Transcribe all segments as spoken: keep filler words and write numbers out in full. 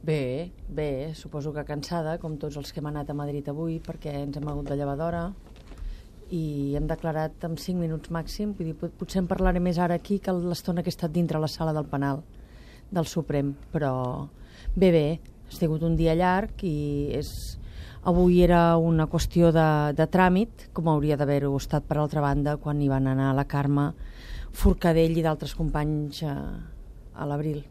Bé, bé, suposo que cansada, com tots els que hem anat a Madrid avui, perquè ens hem hagut de llevar d'hora i hem declarat en cinc minuts màxim. Vull dir, potser en parlaré més ara aquí que l'estona que he estat dintre la sala del penal del Suprem, però bé, bé, ha sigut un dia llarg i és... avui era una qüestió de, de tràmit, com hauria d'haver-ho estat per altra banda quan hi van anar la Carme Forcadell i d'altres companys a, a l'abril.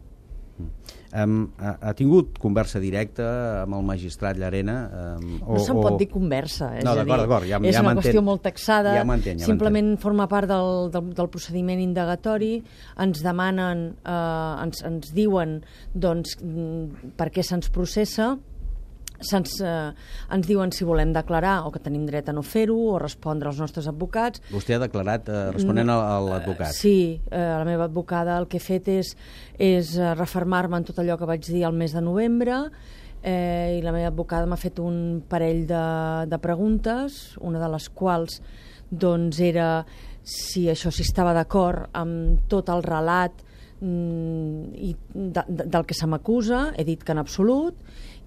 Um, ha, ha tingut conversa directa amb el magistrat Llarena? Um, no se'n pot dir conversa, és, no, a dir, ja, és ja una qüestió molt taxada, ja ja simplement forma part del, del, del procediment indagatori, ens demanen, eh, ens, ens diuen doncs, per què se'ns processa, Se'ns, eh, ens diuen si volem declarar o que tenim dret a no fer-ho o respondre als nostres advocats. Vostè ha declarat eh, responent a, a l'advocat? Uh, sí, eh, la meva advocada el que he fet és, és uh, refermar-me en tot allò que vaig dir al mes de novembre eh, i la meva advocada m'ha fet un parell de, de preguntes, una de les quals doncs, era si això si estava d'acord amb tot el relat mm, i de, de, del que se m'acusa. He dit que en absolut,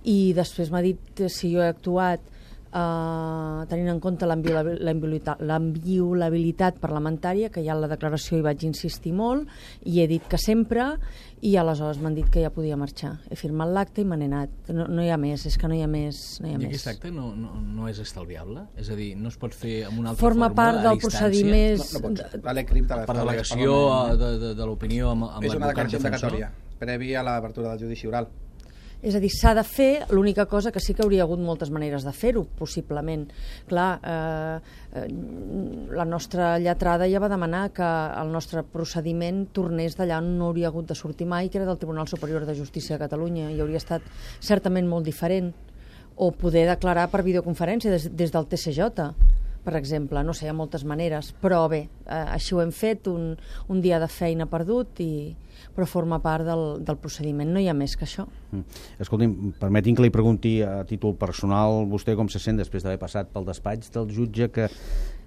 i després m'ha dit si jo he actuat eh, tenint en compte l'inviolabilitat parlamentària, que ja en la declaració hi vaig insistir molt, i he dit que sempre, i aleshores m'han dit que ja podia marxar. He firmat l'acte i me n'he anat. No, no hi ha més, és que no hi ha més. No hi ha I més. aquest acte no, no, no és estalviable? És a dir, no es pot fer amb una altra Forma fórmula, part del procediment. No, no pot ser. La Lecrim te la per delegació de, de, de l'opinió amb, amb és una l'advocat declaració defensor? indicatòria, previ a l'obertura del judici oral. És a dir, s'ha de fer, l'única cosa que sí que hauria hagut moltes maneres de fer-ho, possiblement. Clar, eh, eh, la nostra lletrada ja va demanar que el nostre procediment tornés d'allà on no hauria hagut de sortir mai, que era del Tribunal Superior de Justícia de Catalunya, i hauria estat certament molt diferent. O poder declarar per videoconferència des, des del T C J, per exemple. No sé, hi ha moltes maneres, però bé, eh, així ho hem fet, un, un dia de feina perdut, i, però forma part del, del procediment, no hi ha més que això. Mm. Escolti'm, permeti'm que li pregunti a títol personal, vostè com se sent després d'haver passat pel despatx del jutge que...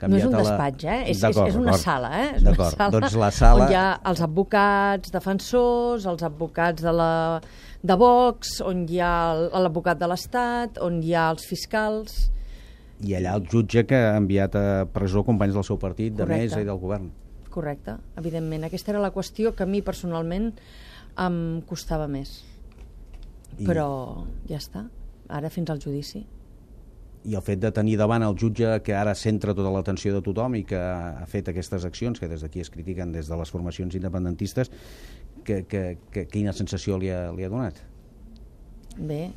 No és un la... despatx, eh? És, és, és una sala, eh? És una sala, doncs la sala... on hi ha els advocats defensors, els advocats de, la, de Vox, on hi ha l'advocat de l'Estat, on hi ha els fiscals... I allà el jutge que ha enviat a presó companys del seu partit, de Correcte. mesa i del govern. Correcte, evidentment. Aquesta era la qüestió que a mi personalment em costava més. I... Però ja està, ara fins al judici. I el fet de tenir davant el jutge que ara centra tota l'atenció de tothom i que ha fet aquestes accions que des d'aquí es critiquen des de les formacions independentistes, que, que, que, quina sensació li ha, li ha donat? Bé...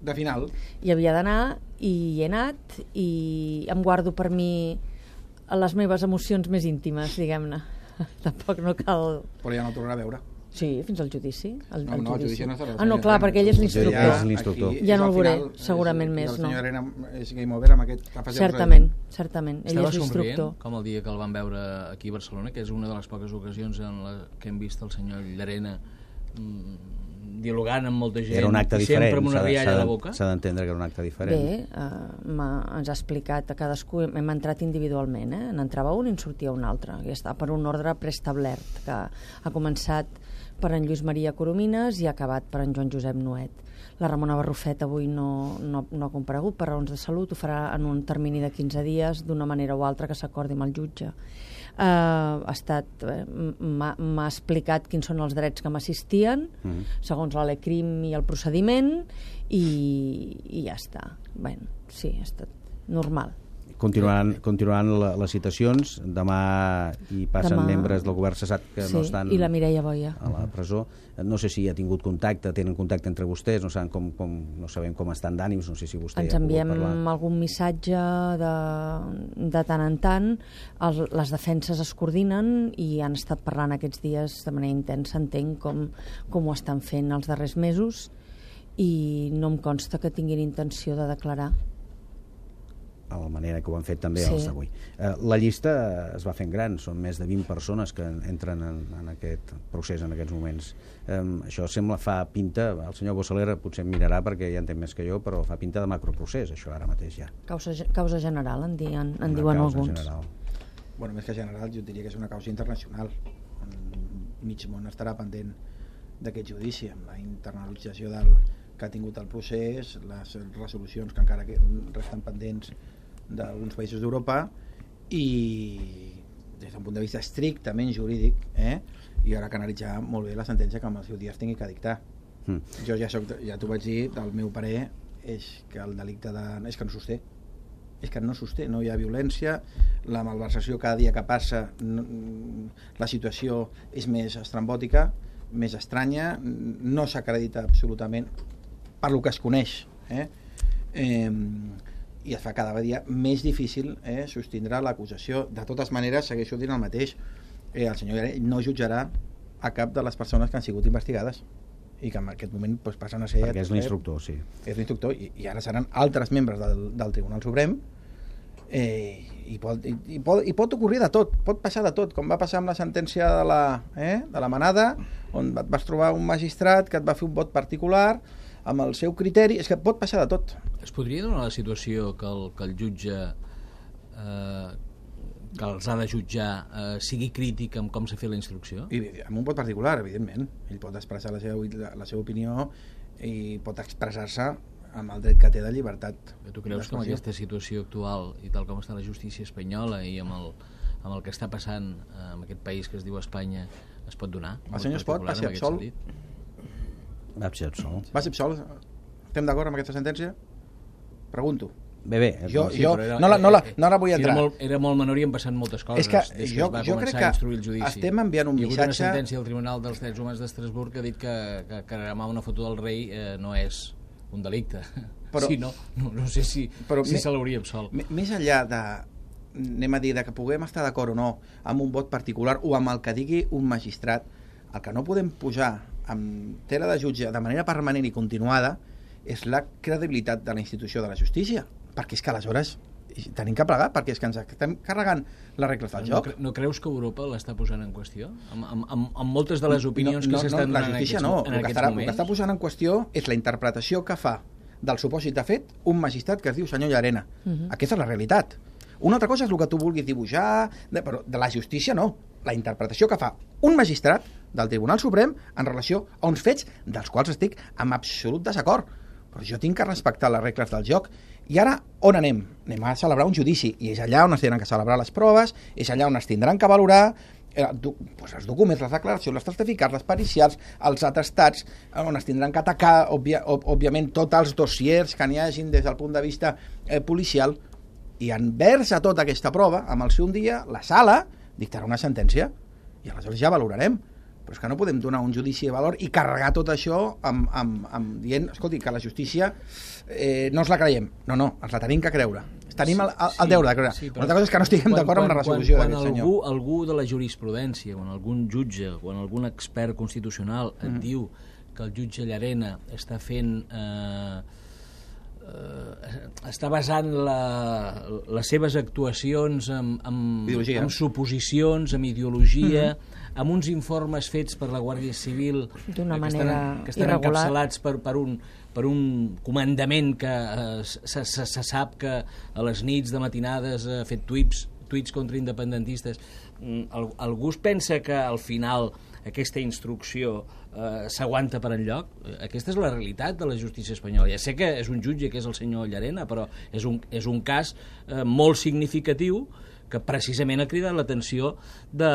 De final. Hi havia d'anar i hi he anat i em guardo per mi les meves emocions més íntimes, diguem-ne. Tampoc no cal... Però ja no el tornarà a veure. Sí, fins al judici. El, no, el no, judici. el judici no estarà. Ah, no, clar, perquè ell és l'instructor. Ja no el veuré, segurament més, no. El senyor Arena és game over amb aquest... Certament, certament. Ell Estava és l'instructor. somrient, com el dia que el van veure aquí a Barcelona, que és una de les poques ocasions en la que hem vist el senyor Llarena mmm, dialogant amb molta gent. Era un acte i diferent, sempre amb una rialla a la boca. S'ha d'entendre que era un acte diferent. Bé, uh, ens ha explicat a cadascú, hem entrat individualment, eh? N'entrava un i en sortia un altre, i està per un ordre preestablert, que ha començat per en Lluís Maria Coromines i ha acabat per en Joan Josep Nuet. La Ramona Barrufet avui no, no, no ha comparegut per raons de salut, ho farà en un termini de quinze dies, d'una manera o altra que s'acordi amb el jutge. Uh, ha estat eh, m'ha explicat quins són els drets que m'assistien, mm-hmm. segons la Lecrim i el procediment, i, i ja està. Bé, sí, ha estat normal. Continuaran, continuaran la, les citacions. Demà hi passen Demà... membres del govern cessat que sí, no estan i la Mireia Boia a la presó. No sé si ha tingut contacte, tenen contacte entre vostès, no sabem com, com, no sabem com estan d'ànims, no sé si vostè ens ha pogut enviem parlar. Algun missatge de, de tant en tant. El, les defenses es coordinen i han estat parlant aquests dies de manera intensa, entenc com, com ho estan fent els darrers mesos, i no em consta que tinguin intenció de declarar. A la manera que ho han fet també sí. els d'avui. Eh, la llista es va fent gran, són més de vint persones que entren en, en aquest procés en aquests moments. Eh, això sembla, fa pinta, el senyor Bossalera potser em mirarà perquè ja entén més que jo, però fa pinta de macroprocés, això ara mateix ja. Causa, causa general, en, di, en, en diuen alguns. General. Bueno, més que general, jo diria que és una causa internacional. Mig món estarà pendent d'aquest judici, amb la internalització del, que ha tingut el procés, les resolucions que encara que resten pendents d'alguns països d'Europa, i des d'un punt de vista estrictament jurídic, eh, i ara que analitzar molt bé la sentència que amb el seu dia es tingui que dictar. Mm. Jo ja, soc, ja t'ho vaig dir, el meu parer és que el delicte de... és que no sosté. És que no sosté, no hi ha violència, la malversació cada dia que passa, no, la situació és més estrambòtica, més estranya, no s'acredita absolutament per lo que es coneix, eh? Eh, i es fa cada dia més difícil eh, sostindre l'acusació. De totes maneres, segueixo dient el mateix, eh, el senyor Llarena no jutjarà a cap de les persones que han sigut investigades i que en aquest moment pues, passen a ser... Perquè és l'instructor, sí. És l'instructor, i, i ara seran altres membres del, del Tribunal Suprem, eh, i, pot, i, i, pot, i pot ocorrir de tot, pot passar de tot, com va passar amb la sentència de la, eh, de la Manada, on et vas trobar un magistrat que et va fer un vot particular, amb el seu criteri, és que pot passar de tot. Es podria donar la situació que el, que el jutge eh, que els ha de jutjar eh, sigui crític amb com s'ha fet la instrucció? I amb un vot particular, evidentment. Ell pot expressar la seva, la, la seva opinió i pot expressar-se amb el dret que té de llibertat. Tu creus que amb aquesta situació actual i tal com està la justícia espanyola i amb el, amb el que està passant en aquest país que es diu Espanya es pot donar? El senyor Espot va ser absolt? Va ser absolt. Va ser absolt? Estem d'acord amb aquesta sentència? Pregunto. Bé, bé. Jo, sí, jo era, no, la, no, la, no la vull entrar. Era molt, era molt menor i han passat moltes coses. És que des que jo, es va jo crec que instruir el judici. estem enviant un missatge... Hi ha hagut una sentència del Tribunal dels Drets Humans d'Estrasburg que ha dit que, que cremar una foto del rei eh, no és un delicte. Però, sí, no, no, no sé si, però si me, se l'hauria absolt. Més enllà de, anem a dir, de que puguem estar d'acord o no amb un vot particular o amb el que digui un magistrat, el que no podem pujar amb tela de jutge de manera permanent i continuada és la credibilitat de la institució de la justícia, perquè és que aleshores tenim que plegar, perquè és que ens estem carregant les regles del joc. No, cre no creus que Europa l'està posant en qüestió? Amb, amb, amb, amb moltes de les opinions no, no, que s'estan no, donant en aquests, no. en aquests estarà, moments? El que està posant en qüestió és la interpretació que fa del supòsit de fet un magistrat que es diu senyor Llarena. Uh -huh. Aquesta és la realitat. Una altra cosa és el que tu vulguis dibuixar, de, però de la justícia no. La interpretació que fa un magistrat del Tribunal Suprem en relació a uns fets dels quals estic en absolut desacord. Però jo tinc que respectar les regles del joc. I ara, on anem? Anem a celebrar un judici, i és allà on es tindran que celebrar les proves, és allà on es tindran que valorar eh, do, pues els documents, les declaracions, les certificats, les pericials, els atestats, on es tindran que atacar, òbvia, òbviament, tots els dossiers que n'hi hagin des del punt de vista eh, policial, i envers a tota aquesta prova, amb el seu un dia, la sala dictarà una sentència, i aleshores ja valorarem. Però és que no podem donar un judici de valor i carregar tot això amb, amb, amb dient, escolti, que la justícia eh, no ens la creiem. No, no, ens la tenim que creure. Tenim el, el, el deure de creure. Sí, una altra cosa és que no estiguem d'acord amb la resolució d'aquest senyor. Quan algú de la jurisprudència, quan algun jutge, quan algun expert constitucional et mm. diu que el jutge Llarena està fent... Eh, eh, està basant la, les seves actuacions en, en, en suposicions, en ideologia, mm. amb uns informes fets per la Guàrdia Civil d'una que manera estan, que estan encapçalats per, per, un, per un comandament que eh, se, se, se sap que a les nits de matinades ha fet tuits, tuits contra independentistes. El, algú es pensa que al final aquesta instrucció eh, s'aguanta per enlloc? Aquesta és la realitat de la justícia espanyola. Ja sé que és un jutge que és el senyor Llarena, però és un, és un cas eh, molt significatiu que precisament ha cridat l'atenció de...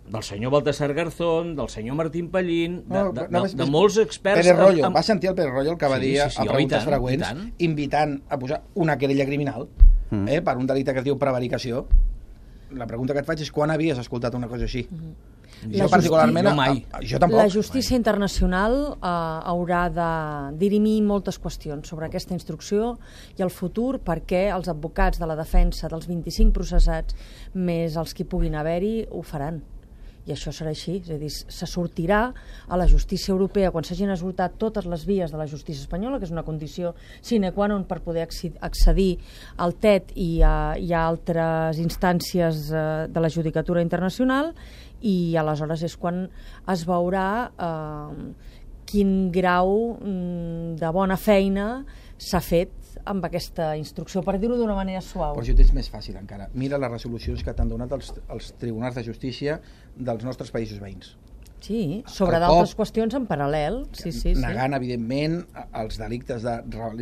del senyor Baltasar Garzón, del senyor Martín Pallín, de, no, de, no, de, de molts experts... Pérez Royo, amb... va sentir el Pérez Royo el que va sí, dir sí, sí, a preguntes tant, freqüents, invitant a posar una querella criminal mm. eh, per un delicte que es diu prevaricació. La pregunta que et faig és quan havies escoltat una cosa així? Mm. Jo particularment... No mai. A, a, jo tampoc. La justícia mai. internacional eh, haurà de dirimir moltes qüestions sobre aquesta instrucció i el futur, perquè els advocats de la defensa dels vint-i-cinc processats més els que puguin haver-hi ho faran. I això serà així, és a dir, se sortirà a la justícia europea quan s'hagin esgotat totes les vies de la justícia espanyola, que és una condició sine qua non per poder accedir al T E T i a, i a altres instàncies eh, de la judicatura internacional, i aleshores és quan es veurà eh, quin grau mm, de bona feina s'ha fet amb aquesta instrucció, per dir-ho d'una manera suau. Però això és més fàcil encara. Mira les resolucions que t'han donat els, els tribunals de justícia dels nostres països veïns. Sí, sobre El d'altres cop, qüestions en paral·lel. Sí, sí, sí. negant, evidentment, els delictes de,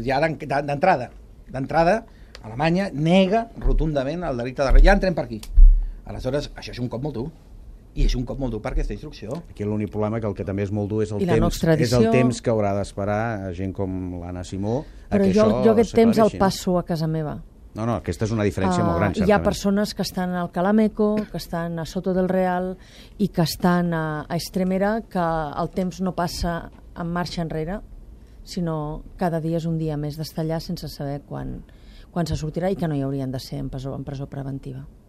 ja d'en- d'entrada. D'entrada, Alemanya nega rotundament el delicte de... Ja entrem per aquí. Aleshores, això és un cop molt dur. I és un cop molt dur per aquesta instrucció. Aquí l'únic problema que el que també és molt dur és el, I la no temps, és extradició. el temps que haurà d'esperar gent com l'Anna Simó a Però que jo, això jo aquest temps el s'aclareixi. passo a casa meva. No, no, aquesta és una diferència Ah, molt gran, hi ha certament. persones que estan al Calameco, que estan a Soto del Real i que estan a, a Estremera, que el temps no passa en marxa enrere, sinó cada dia és un dia més d'estar allà sense saber quan, quan se sortirà i que no hi haurien de ser en presó, en presó preventiva.